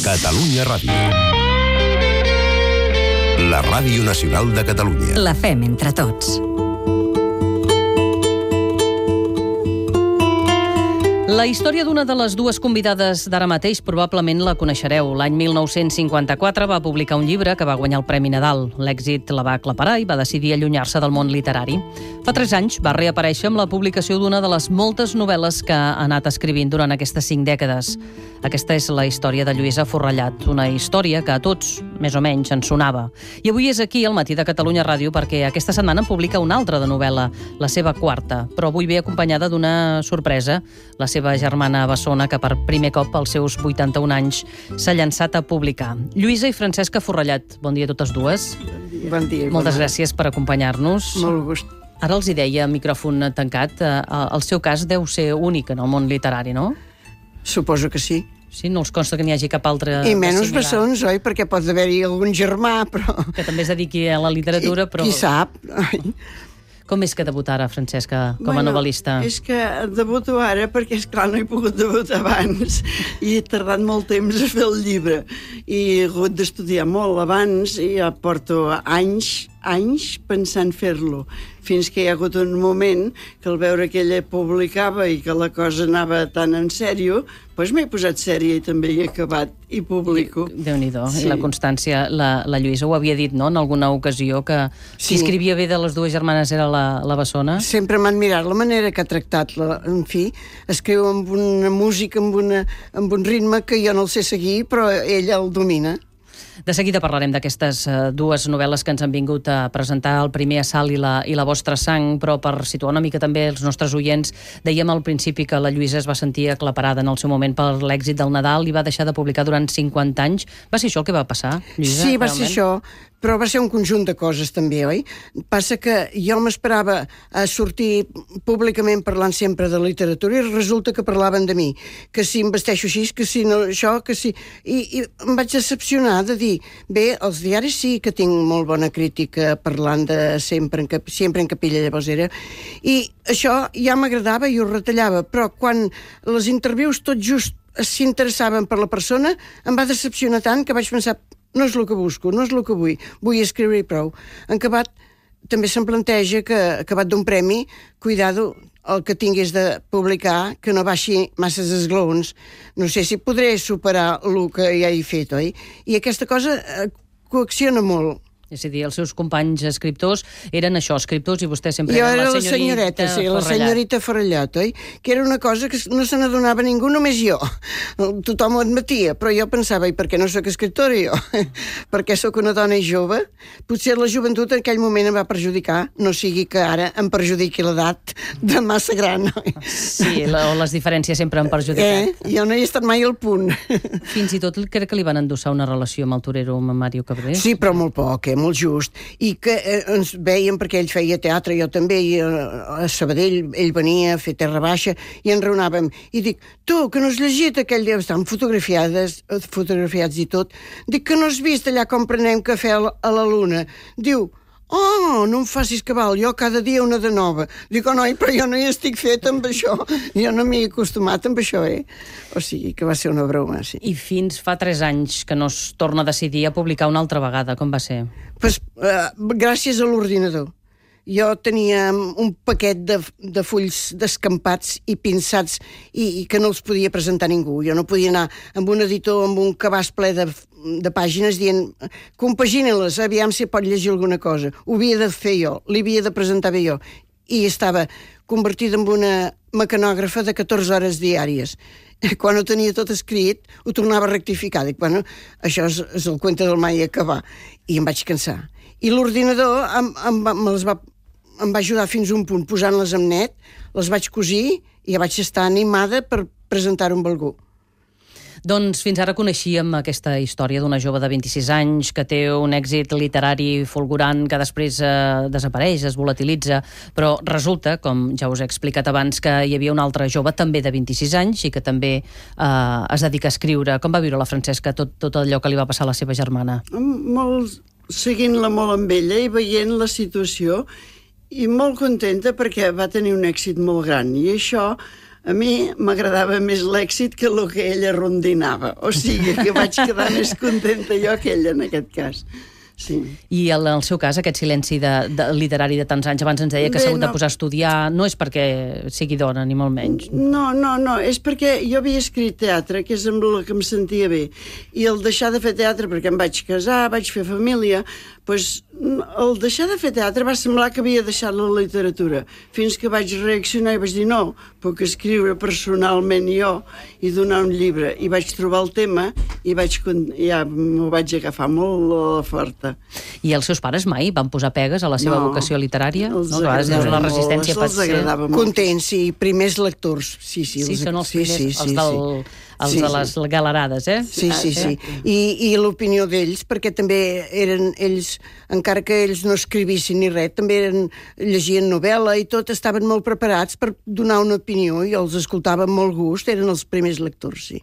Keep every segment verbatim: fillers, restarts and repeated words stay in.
Catalunya Ràdio. La Ràdio Nacional de Catalunya. La fem entre tots. La història d'una de les dues convidades d'ara mateix probablement la coneixereu. L'any mil nou-cents cinquanta-quatre va publicar un llibre que va guanyar el Premi Nadal. L'èxit la va aclaparar i va decidir allunyar-se del món literari. Fa tres anys va reaparèixer amb la publicació d'una de les moltes novel·les que ha anat escrivint durant aquestes cinc dècades. Aquesta és la història de Lluïsa Forrellad, una història que a tots, més o menys, ens sonava. I avui és aquí, al Matí de Catalunya Ràdio, perquè aquesta setmana en publica una altra de novel·la, la seva quarta, però avui ve acompanyada d'una sorpresa, la seva germana Bessona, que per primer cop als seus vuitanta-un anys s'ha llançat a publicar. Lluïsa i Francesca Forrellad, bon dia a totes dues. Bon dia. Moltes gràcies per acompanyar-nos. Molt gust. Ara els hi deia, micròfon tancat, el seu cas deu ser únic en el món literari, no? Suposo que sí. Sí, no els consta que n'hi hagi cap altre... I menys bessons, oi? Perquè pot haver-hi algun germà, però... Que també es dediqui a la literatura, però... Qui sap? Com és que debutar ara, Francesca, com a bueno, novel·lista? És que debuto ara perquè, esclar, no he pogut debutar abans i he tardat molt temps a fer el llibre i he hagut d'estudiar molt abans i ja porto anys, anys pensant fer-lo, fins que hi ha hagut un moment que al veure que ella publicava i que la cosa anava tan en sèrio, doncs m'he posat sèria i també he acabat i publico. Déu-n'hi-do, sí. I la constància, la, la Lluïsa ho havia dit, no?, en alguna ocasió, que sí. Qui escrivia bé de les dues germanes era la, la Bessona. Sempre m'ha admirat la manera que ha tractat, la, en fi, escriu amb una música, amb, una, amb un ritme que jo no el sé seguir, però ella el domina. De seguida parlarem d'aquestes dues novel·les que ens han vingut a presentar, el primer Assalt i la, i la vostra sang, però per situar una mica també els nostres oients, dèiem al principi que la Lluïsa es va sentir aclaparada en el seu moment per l'èxit del Nadal i va deixar de publicar durant cinquanta anys. Va ser això el que va passar, Lluïsa? Sí, va ser això, però va ser un conjunt de coses també, oi? Passa que jo m'esperava a sortir públicament parlant sempre de literatura i resulta que parlaven de mi, que si em vesteixo així, que si no això, que si... I, i em vaig decepcionar de dir, bé, els diaris sí que tinc molt bona crítica parlant de sempre en, cap, sempre en Capella Llavosera, i això ja m'agradava i ho retallava, però quan les interviews tot just s'interessaven per la persona, em va decepcionar tant que vaig pensar, no és el que busco, no és el que vull, vull escriure i prou. En acabat, també se'm planteja que, acabat d'un premi, cuidado, el que tingués de publicar, que no baixi masses esglaons. No sé si podré superar el que ja he fet, oi? I aquesta cosa eh, coacciona molt. És a dir, els seus companys escriptors eren això, escriptors, i vostè sempre jo era la senyorita, senyoreta, sí, la senyorita Forrellad, oi? Que era una cosa que no se n'adonava ningú, només jo. Tothom ho admetia, però jo pensava, i per què no soc escriptora jo? Perquè sóc una dona jove? Potser la joventut en aquell moment em va perjudicar, no sigui que ara em perjudiqui l'edat de massa gran, oi? Sí, la, o les diferències sempre han perjudicat. Eh? Jo no he estat mai al punt. Fins i tot crec que li van endossar una relació amb el torero, amb Mario Cabré. Sí, però molt poc, eh? Molt just, i que eh, ens veiem perquè ell feia teatre, jo també, i eh, a Sabadell ell venia a fer Terra Baixa i ens reunàvem, i dic, tu, que no has llegit aquell dia, estan fotografiades, fotografiats i tot, dic que no has vist allà com prenem cafè a la, a la Luna, diu, oh, no em facis cabal, jo cada dia una de nova. Dic, oh, noi, però jo no hi estic fet amb això. Jo no m'hi he acostumat amb això, eh? O sigui, que va ser una broma, sí. I fins fa tres anys que no es torna a decidir a publicar una altra vegada. Com va ser? Pues, uh, gràcies a l'ordinador. Jo tenia un paquet de, de fulls descampats i pinçats i, i que no els podia presentar ningú. Jo no podia anar amb un editor, amb un cabàs ple de, de pàgines dient compagina-les, aviam si pot llegir alguna cosa. Ho havia de fer jo, li havia de presentar bé jo. I estava convertida en una mecanògrafa de catorze hores diàries. Quan ho tenia tot escrit, ho tornava a rectificar. Dic, bueno, això és, és el cuento del mai acabar. I em vaig cansar. I l'ordinador em, em, em, les va, em va ajudar fins a un punt, posant-les en net, les vaig cosir i ja vaig estar animada per presentar-ho amb algú. Doncs fins ara coneixíem aquesta història d'una jove de vint-i-sis anys que té un èxit literari fulgurant que després eh, desapareix, es volatilitza, però resulta, com ja us he explicat abans, que hi havia una altra jove també de vint-i-sis anys i que també eh, es dedica a escriure. Com va viure la Francesca tot, tot allò que li va passar a la seva germana? Molt, seguint-la molt amb ella i veient la situació i molt contenta perquè va tenir un èxit molt gran i això a mi m'agradava més l'èxit que el que ella rondinava. O sigui, que vaig quedar més contenta jo que ella, en aquest cas. Sí. I en el seu cas, aquest silenci de, de literari de tants anys, abans ens deia que s'ha hagut de posar a estudiar, no és perquè sigui dona, ni molt menys. No, no, no, és perquè jo havia escrit teatre, que és amb el que em sentia bé, i el deixar de fer teatre, perquè em vaig casar, vaig fer família, doncs el deixar de fer teatre va semblar que havia deixat la literatura, fins que vaig reaccionar i vaig dir no, puc escriure personalment jo i donar un llibre, i vaig trobar el tema i vaig, ja m'ho vaig agafar molt a la forta. I els seus pares mai van posar pegues a la seva no, vocació literària? Els no, agradava la resistència molt, els agradava molt. Contents, sí, primers lectors. Sí, sí, sí, els, són els primers, sí, sí, els, del, els sí, de les galerades, eh? Sí, sí, sí. I, i l'opinió d'ells, perquè també eren ells, encara que ells no escrivissin ni res, també eren, llegien novel·la i tot, estaven molt preparats per donar una opinió i els escoltaven amb molt gust, eren els primers lectors, sí.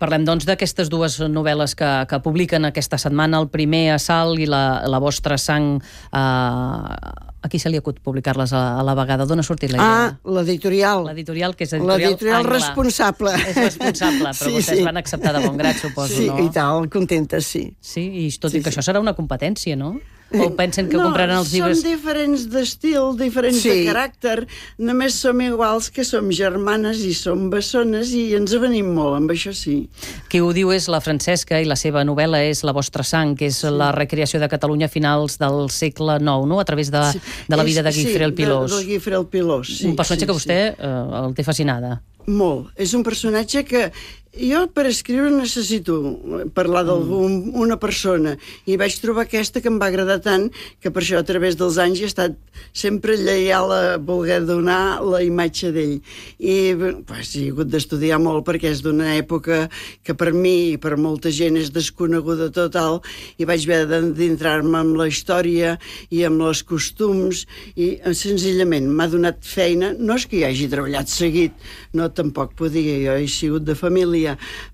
Parlem, doncs, d'aquestes dues novel·les que, que publiquen aquesta setmana, el primer Assalt i la, la vostra sang. Eh, a qui se li acut publicar-les a, a la vegada? D'on ha sortit la idea? Ah, l'editorial. L'editorial, que és editorial L'editorial Angla. responsable. És responsable, però sí, vostès sí. van acceptar de bon grat, suposo, sí, no? Sí, i tal, contentes, sí. Sí, i tot Sí, i que sí. això serà una competència, no? O pensen que no, compraran els llibres... som diferents d'estil, diferents Sí. de caràcter, només som iguals que som germanes i som bessones i ens avenim molt, amb això sí. Qui ho diu és la Francesca i la seva novel·la és La vostra sang, que és sí. la recreació de Catalunya a finals del segle nou, no? A través de, Sí. de la vida És- de Guifré el Pilós. Sí, de, de Guifré el Pilós, sí. Un personatge sí, que vostè sí. eh, el té fascinada. Molt. És un personatge que jo per escriure necessito parlar d'alguna persona i vaig trobar aquesta que em va agradar tant que per això a través dels anys he estat sempre lleial a voler donar la imatge d'ell. I pues, he hagut d'estudiar molt perquè és d'una època que per mi i per molta gent és desconeguda total i vaig haver d'entrar-me amb la història i amb els costums i senzillament m'ha donat feina. No és que hi hagi treballat seguit, no tampoc podia, jo he sigut de família,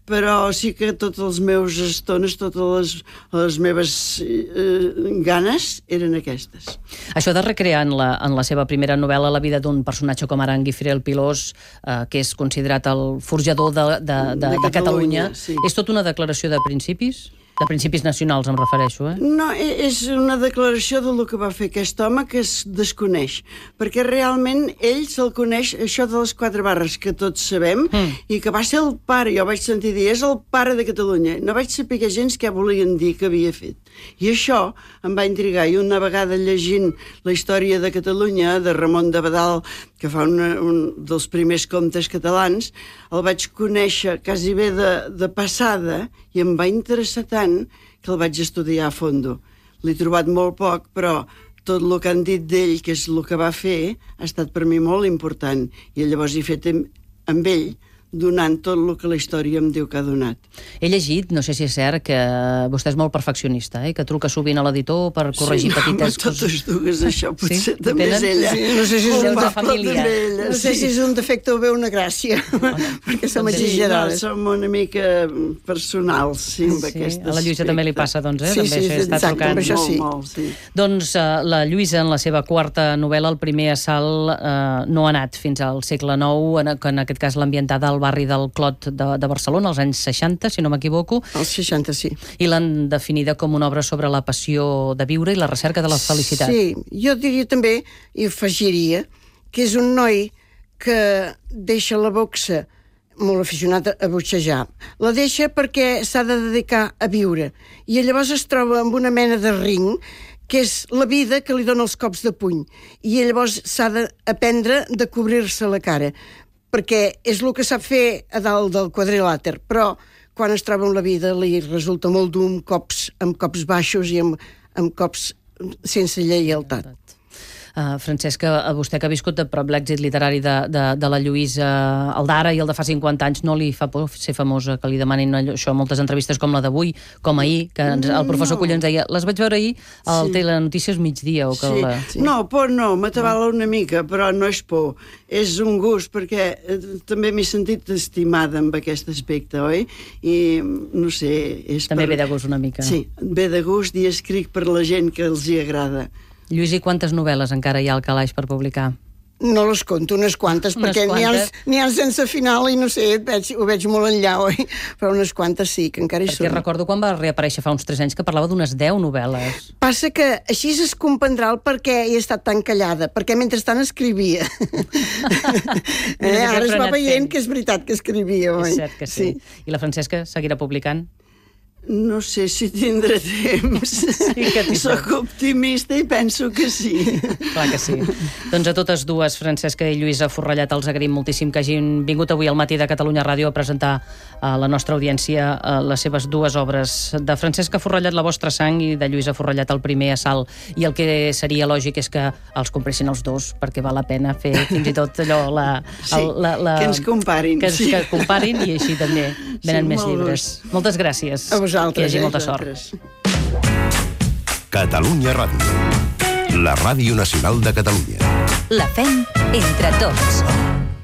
però sí que totes les meves estones, totes les, les meves eh, ganes eren aquestes. Això de recrear en la, en la seva primera novel·la la vida d'un personatge com ara en Guifré el Pilós, eh, que és considerat el forjador de, de, de, de, De de Catalunya, Catalunya, sí. és tot una declaració de principis? De principis nacionals, em refereixo, eh? No, e- és una declaració del que va fer aquest home que es desconeix, perquè realment ell se'l coneix, això de les quatre barres que tots sabem, mm. i que va ser el pare, jo vaig sentir dir, és el pare de Catalunya. No vaig saber gens què volien dir que havia fet. I això em va intrigar, i una vegada llegint la història de Catalunya, de Ramon de Badal, que fa una, un dels primers contes catalans, el vaig conèixer quasi bé de, de passada i em va interessar tant que el vaig estudiar a fondo. L'he trobat molt poc, però tot el que han dit d'ell, que és el que va fer, ha estat per mi molt important. I llavors he fet amb, amb ell, donant tot el que la història em diu que ha donat. He llegit, no sé si és cert, que vostè és molt perfeccionista, eh? Que truca sovint a l'editor per corregir sí, no, petites totes coses. dues, això potser Sí? també Tenen? és ella. Sí, no sé si és Un de poble família. també ella, No sé sí. si és un defecte o bé una gràcia, perquè som Doncs sí, Sí, no, exagerades. som una mica personals, sí, amb Sí, aquest a la Lluïsa aspecte. també li passa, doncs, eh? Sí, també sí, això està exacte, trucant. amb això sí. Molt, molt, sí. Doncs eh, la Lluïsa, en la seva quarta novel·la, el primer assalt, eh, no ha anat fins al segle nou, en, que en aquest cas l'ambientada al barri del Clot de, de Barcelona, als anys seixanta, si no m'equivoco, Els seixanta, sí. i l'han definida com una obra sobre la passió de viure i la recerca de la felicitat. Sí, jo diria també, i afegiria, que és un noi que deixa la boxa molt aficionat a boxejar. La deixa perquè s'ha de dedicar a viure. I llavors es troba amb una mena de ring que és la vida que li dona els cops de puny. I llavors s'ha d'aprendre de cobrir-se la cara, perquè és el que sap fer a dalt del quadrilàter, però quan es troba amb la vida li resulta molt dur amb cops, amb cops baixos i amb, amb cops sense lleialtat. Uh, Francesca, a vostè que ha viscut de prop l'èxit literari de, de, de la Lluïsa, el d'ara i el de fa cinquanta anys, no li fa por ser famosa, que li demanin allò, això a moltes entrevistes com la d'avui, com ahir, que ens, el professor No. Culla ens deia, les vaig veure ahir al Sí. Telenotícies migdia. O que Sí. la... Sí. No, por no, m'atabala una mica, però no és por. És un gust, perquè eh, també m'he sentit estimada amb aquest aspecte, oi? I, no sé... És També per... ve de gust una mica. Sí, ve de gust i escric per la gent que els hi agrada. Lluís, i quantes novel·les encara hi ha al calaix per publicar? No les conto, unes quantes, unes perquè quantes. n'hi ha, ha sense final i no sé, veig, ho veig molt enllà, oi? Però unes quantes sí, que encara hi Perquè són. recordo quan va reaparèixer fa uns tres anys que parlava d'unes deu novel·les. Passa que així es comprendrà el per què he estat tan callada, perquè mentrestant escrivia. eh, ara es va veient que és veritat que escrivia, oi? És cert que sí. sí. I la Francesca seguirà publicant? No sé si tindré temps. Sí que Soc optimista i penso que sí. Clar que sí. Doncs a totes dues, Francesca i Lluïsa Forrellat, els agraïm moltíssim que hagin vingut avui al matí de Catalunya Ràdio a presentar a la nostra audiència les seves dues obres. De Francesca Forrellat, La vostra sang, i de Lluïsa Forrellat, El primer assalt. I el que seria lògic és que els compressin els dos, perquè val la pena fer fins i tot allò... La, sí, el, la, la, que ens comparin. Que, sí. que comparin i així també venen sí, més llibres. Gust. Moltes gràcies. A vosaltres. Que hi hagi eh, molta vosaltres. sort. Catalunya Ràdio. La ràdio nacional de Catalunya. La fem entre tots.